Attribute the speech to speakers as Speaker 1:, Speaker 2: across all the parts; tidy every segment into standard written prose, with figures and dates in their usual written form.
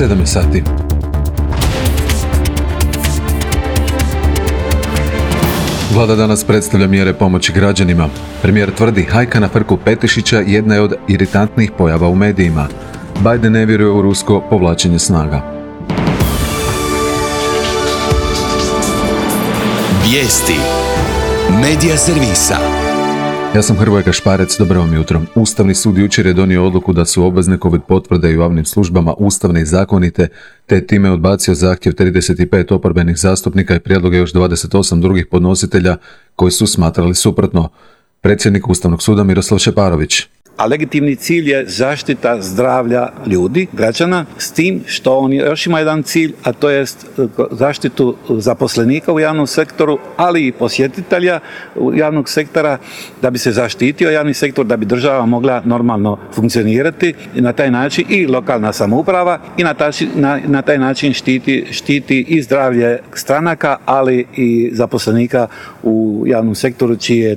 Speaker 1: 7 sati. Vlada danas predstavlja mjere pomoći građanima. Premijer tvrdi, hajka na frku Petišića jedna je od iritantnih pojava u medijima. Biden ne vjeruje u rusko povlačenje snaga.
Speaker 2: Vijesti. Medija servisa.
Speaker 1: Ja sam Hrvoje Kašparec, dobro vam jutro. Ustavni sud jučer je donio odluku da su obvezne COVID potvrde u javnim službama ustavne i zakonite, te time odbacio zahtjev 35 oporbenih zastupnika i prijedloge još 28 drugih podnositelja koji su smatrali suprotno. Predsjednik Ustavnog suda Miroslav Šeparović.
Speaker 3: A legitimni cilj je zaštita zdravlja ljudi, građana, s tim što on još ima jedan cilj, a to je zaštitu zaposlenika u javnom sektoru, ali i posjetitelja javnog sektora, da bi se zaštitio javni sektor, da bi država mogla normalno funkcionirati i na taj način i lokalna samouprava i na taj način štiti i zdravlje stranaka, ali i zaposlenika u javnom sektoru čije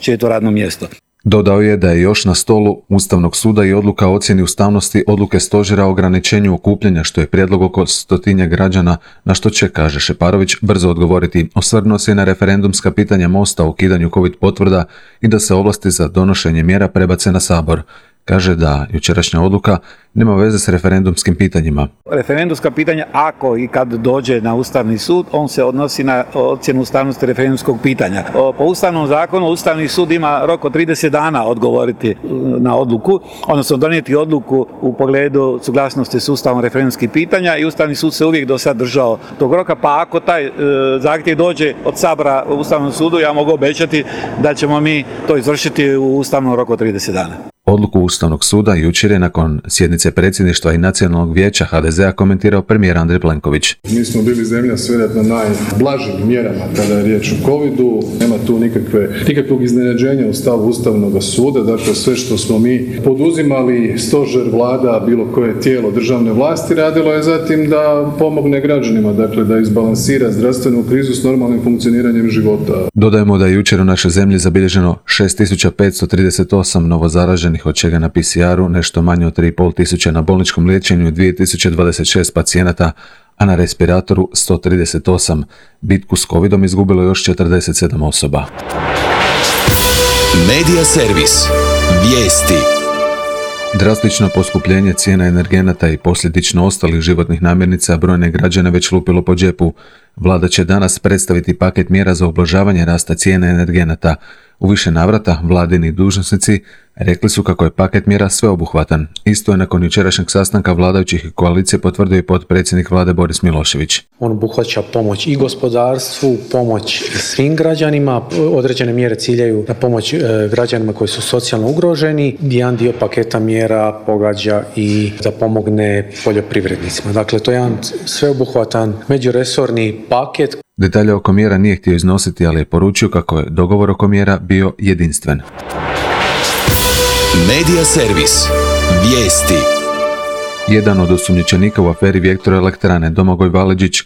Speaker 3: je to radno mjesto.
Speaker 1: Dodao je da je još na stolu Ustavnog suda i odluka o ocjeni ustavnosti odluke stožera o ograničenju okupljanja, što je prijedlog oko 100 građana, na što će, kaže Šeparović, brzo odgovoriti. Osvrnuo se i na referendumska pitanja Mosta o ukidanju COVID potvrda i da se ovlasti za donošenje mjera prebace na Sabor. Kaže da jučerašnja odluka nema veze s referendumskim pitanjima.
Speaker 3: Referendumska pitanja, ako i kad dođe na Ustavni sud, on se odnosi na ocjenu ustavnosti referendumskog pitanja. Po Ustavnom zakonu Ustavni sud ima rok od 30 dana odgovoriti na odluku, odnosno donijeti odluku u pogledu suglasnosti s Ustavom referendumskih pitanja i Ustavni sud se uvijek do sad držao tog roka, pa ako taj zahtjev dođe od Sabora u Ustavnom sudu, ja mogu obećati da ćemo mi to izvršiti u ustavnom roku od 30 dana.
Speaker 1: Odluku Ustavnog suda jučer je nakon sjednice predsjedništva i Nacionalnog vijeća HDZ-a komentirao premijer Andrej Plenković.
Speaker 4: Mi smo bili zemlja s vjerojatno najblažim mjerama kada je riječ o covidu. Nema tu nikakvog iznenađenja u stavu Ustavnog suda. Dakle, sve što smo mi poduzimali, stožer, vlada, bilo koje tijelo državne vlasti, radilo je zatim da pomogne građanima, dakle da izbalansira zdravstvenu krizu s normalnim funkcioniranjem života.
Speaker 1: Dodajemo da je jučer u našoj zemlji zabilježeno 6538 novozaraženih, od čega na PCR-u nešto manje od 3500, na bolničkom liječenju 2026 pacijenata, a na respiratoru 138. Bitku s covidom izgubilo još 47 osoba.
Speaker 2: Medija servis. Vijesti.
Speaker 1: Drastično poskupljenje cijena energenata i posljedično ostalih životnih namirnica brojne građane već lupilo po džepu. Vlada će danas predstaviti paket mjera za ublažavanje rasta cijena energenata. U više navrata vladini dužnosnici rekli su kako je paket mjera sveobuhvatan. Isto je nakon jučerašnjeg sastanka vladajućih i koalicije potvrdio i potpredsjednik vlade Boris Milošević.
Speaker 5: On obuhvaća pomoć i gospodarstvu, pomoć svim građanima, određene mjere ciljaju na pomoć građanima koji su socijalno ugroženi. Jedan dio paketa mjera pogađa i da pomogne poljoprivrednicima. Dakle, to je jedan sveobuhvatan međuresorni paket.
Speaker 1: Detalje oko mjera nije htio iznositi, ali je poručio kako je dogovor oko mjera bio jedinstven.
Speaker 2: Medija servis. Vijesti.
Speaker 1: Jedan od osumnjičenika u aferi Vjetroelektrane, Domagoj Valeđić,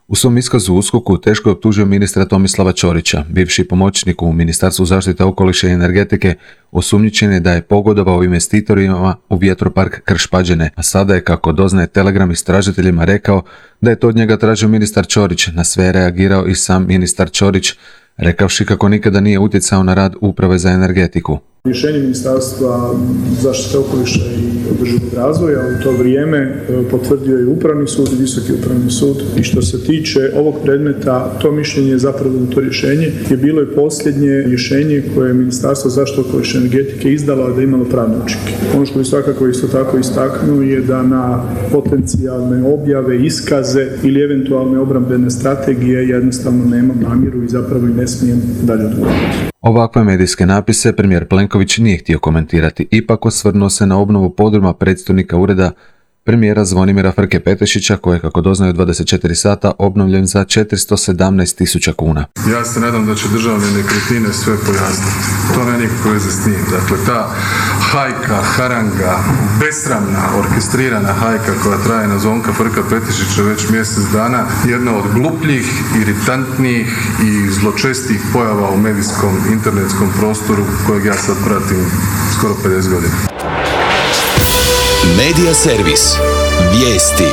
Speaker 1: u svom iskazu u USKOK-u teško je optužio ministra Tomislava Ćorića. Bivši pomoćnik u Ministarstvu zaštite okoliša i energetike osumnjičen je da je pogodovao investitorima u vjetropark Krš-Pađene, a sada je, kako doznaje Telegram, istražiteljima rekao da je to od njega tražio ministar Ćorić. Na sve je reagirao i sam ministar Ćorić, rekavši kako nikada nije utjecao na rad Uprave za energetiku.
Speaker 6: Rješenje Ministarstva zaštite okoliša i održivog razvoja u to vrijeme potvrdio je Upravni sud i Visoki upravni sud. I što se tiče ovog predmeta, to mišljenje je zapravo, to rješenje je bilo i posljednje rješenje koje je Ministarstvo zaštite okoliša i energetike izdalo, a da je imalo pravne učinke. Ono što bi svakako isto tako istaknuo je da na potencijalne objave, iskaze ili eventualne obrambene strategije jednostavno nemam namjeru i zapravo i ne smijem dalje odgovoriti.
Speaker 1: Ovakve medijske napise premijer Plenković nije htio komentirati, ipak osvrnuo se na obnovu podruma predstojnika ureda premijera Zvonimira Frke Petišića, koji je, kako doznaju 24 sata, obnovljen za 417.000 kuna.
Speaker 4: Ja se nadam da će državne nekretnine sve pojasniti. To nema nikakve veze s njim. Dakle, ta hajka, haranga, besramna, orkestrirana hajka koja traje na Zvonka Frka Petišića već mjesec dana, jedna od glupljih, iritantnijih i zločestih pojava u medijskom, internetskom prostoru kojeg ja sad pratim skoro 50 godina.
Speaker 2: Medija servis. Vijesti.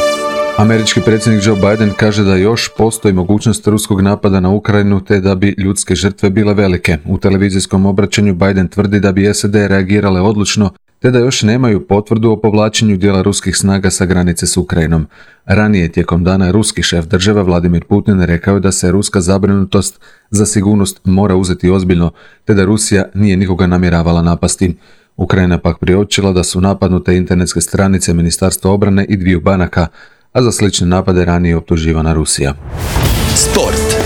Speaker 1: Američki predsjednik Joe Biden kaže da još postoji mogućnost ruskog napada na Ukrajinu te da bi ljudske žrtve bile velike. U televizijskom obraćanju Biden tvrdi da bi SAD reagirale odlučno te da još nemaju potvrdu o povlačenju dijela ruskih snaga sa granice s Ukrajinom. Ranije tijekom dana ruski šef države Vladimir Putin rekao je da se ruska zabrinutost za sigurnost mora uzeti ozbiljno te da Rusija nije nikoga namjeravala napasti. Ukrajina pak priopćila da su napadnute internetske stranice Ministarstva obrane i 2 banaka, a za slične napade ranije optuživana Rusija.
Speaker 2: Sport.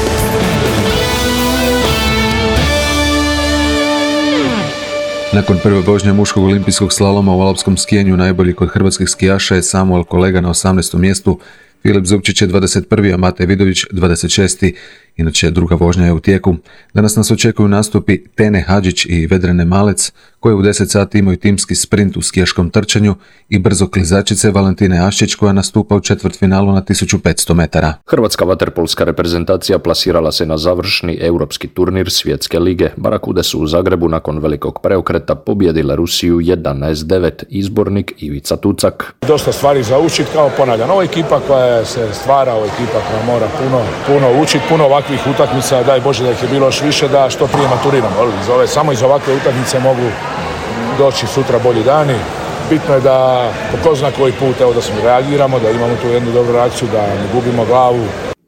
Speaker 1: Nakon prve vožnje muškog olimpijskog slaloma u alpskom skijenju najbolji kod hrvatskih skijaša je Samuel Kolega na 18. mjestu, Filip Zupčić je 21. a Matej Vidović 26. Inače, druga vožnja je u tijeku. Danas nas očekuju nastupi Tene Hadžić i Vedrane Malec, koje u 10 sati imaju timski sprint u skijaškom trčanju, i brzo klizačice Valentine Aščić koja nastupa u četvrtfinalu na 1500 metara.
Speaker 7: Hrvatska vaterpolska reprezentacija plasirala se na završni europski turnir Svjetske lige. Barakude su u Zagrebu nakon velikog preokreta pobijedile Rusiju 11-9, izbornik Ivica Tucak.
Speaker 8: Dosta stvari za učiti, kao ponavljam. Ovo je ekipa koja se stvara, ovo je ekipa koja mora puno učiti, puno ovakvih utakmica, daj Bože da ih je bilo još više, da što prije maturiramo. Samo iz ovakve utakmice mogu doći sutra bolji dani. Bitno je da po ko zna koji put da smo reagiramo, da imamo tu jednu dobru reakciju, da ne gubimo glavu.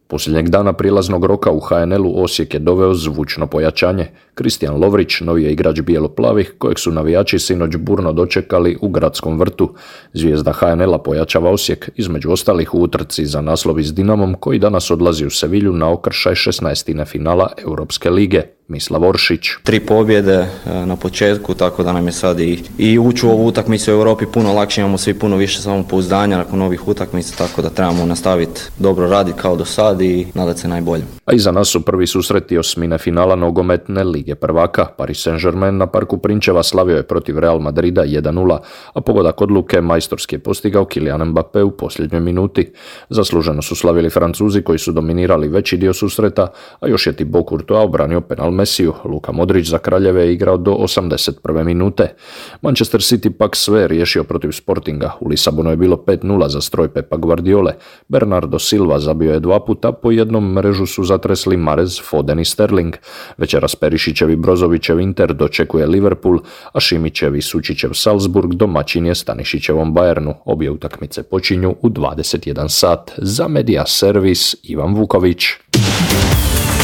Speaker 7: Posljednjeg dana prilaznog roka u HNL-u Osijek je doveo zvučno pojačanje. Kristijan Lovrić, novi je igrač bijelo-plavih, kojeg su navijači sinoć burno dočekali u gradskom vrtu. Zvijezda HNL-a pojačava Osijek, između ostalih u utrci za naslovi s Dinamom, koji danas odlazi u Sevilju na okršaj 16. finala Europske lige. Mislav Oršić.
Speaker 9: 3 pobjede na početku, tako da nam je sad i ući u ovu utakmicu u Europi puno lakše, imamo svi puno više samopouzdanja nakon ovih utakmica, tako da trebamo nastaviti dobro raditi kao do sad i nadati se najbolje.
Speaker 7: A iza nas su prvi susreti osmine finala nogometne lige prvaka. Paris Saint-Germain na Parku Prinčeva slavio je protiv Real Madrida 1-0, a pogodak odluke majstorski je postigao Kylian Mbappé u posljednjoj minuti. Zasluženo su slavili Francuzi koji su dominirali veći dio susreta, a još je Thibaut Courtois obranio penal Mesiju. Luka Modrić za Kraljeve je igrao do 81. minute. Manchester City pak sve riješio protiv Sportinga. U Lisabonu je bilo 5-0 za stroj Pepa Guardiole. Bernardo Silva zabio je 2 puta, po jednom mrežu su zatresli Mahrez, Foden i Sterling. Večeras Perišićev i Brozovićev Inter dočekuje Liverpool, a Šimićev i Sučićev Salzburg domaćin je Stanišićevom Bayernu. Obje utakmice počinju u 21 sat. Za Medija servis Ivan Vuković.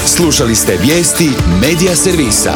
Speaker 2: Slušali ste vijesti Medija servisa.